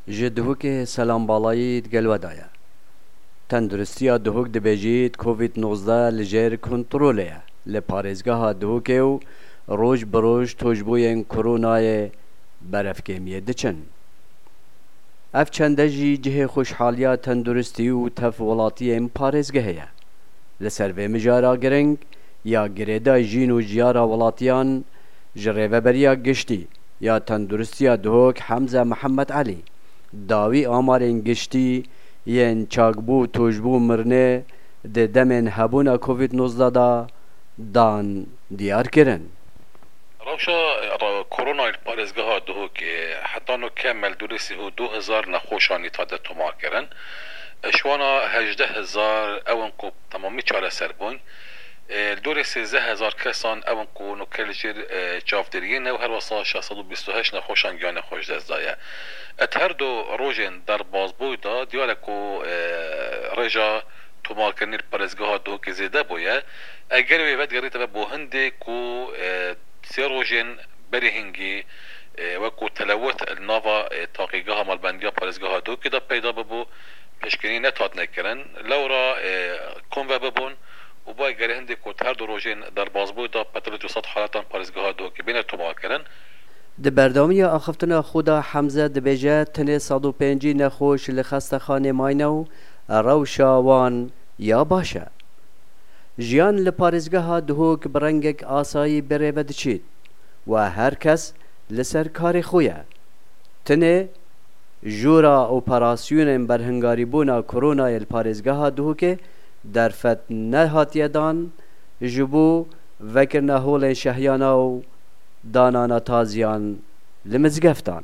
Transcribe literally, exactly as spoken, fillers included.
Ji Duhokê selam balayî di gel we de ye. Tenduristiya Duhok dibêjît, Covid nozdeh li jêr kontrolê ye li parêzgeha Duhokê û roj bi roj tojbûyên koronayê berevkêmiyê diçin. Ev çende jî cihê xweşhaliya tenduristî û tev welatiyên parêzgehê ye. Li ser vê mijara giring ya girêdayî jîn û jiyara welatiyan ji Rêveberiya Giştî ya Tenduristiya Duhok Hemze Mihemed Elî dawî amarên giştî yên çakbû, tojbû, mirinê di demên hebûna Covid nozdeh de dan diyar kirin. Rewşa, e, ra-, koronayê li parêzgeha Duhokê heta no kemel dûrê sî û du hezar nexweşan îta de tomar kirin. E, ji wana hejdeh hezar ew in ku temamî çareser bûn. E, li dûrê sêzdeh hezar kesan ew in ku noke li jêr, e, çavdêriyê ne û her wesa şeş sed û bîst û heşt nexweşan giyanê xwe ji dest daye. Et her du rojên derbasbûyî de diyar e ku, e, rêja tomarkirinê li parêzgeha Duhokê zêde bûye. Eger wê vedigerîte ve bo hindê ku, e, sê rojên berî hingî, e, wekû telewit li nava, e, taqîgeha malbendiya parêzgeha Duhokê de peyda bibû, piştgirî nehatine kirin. Lewra, e, konve bibûn û ba eger hindê ku her du rojên derbasbûyî de petrol û sed haletan parêzgeha Duhokê bêne tomarkirin. Di berdewamiya axiftina xwe de Hemze dibêje, tenê sed û pêncî nexweş li xestexanê mayne û rewşa wan ya baş e. Jiyan li parêzgeha Duhok bi rengek asayî bi rê ve diçît û her kes li ser karê xwe ye. Tenê jûra operasyonên berhingarîbûna koronayê li parêzgeha Duhokê derfet nehatiye dan ji bo vekirina holên şehiyana û danana taziyan li mizgeftan.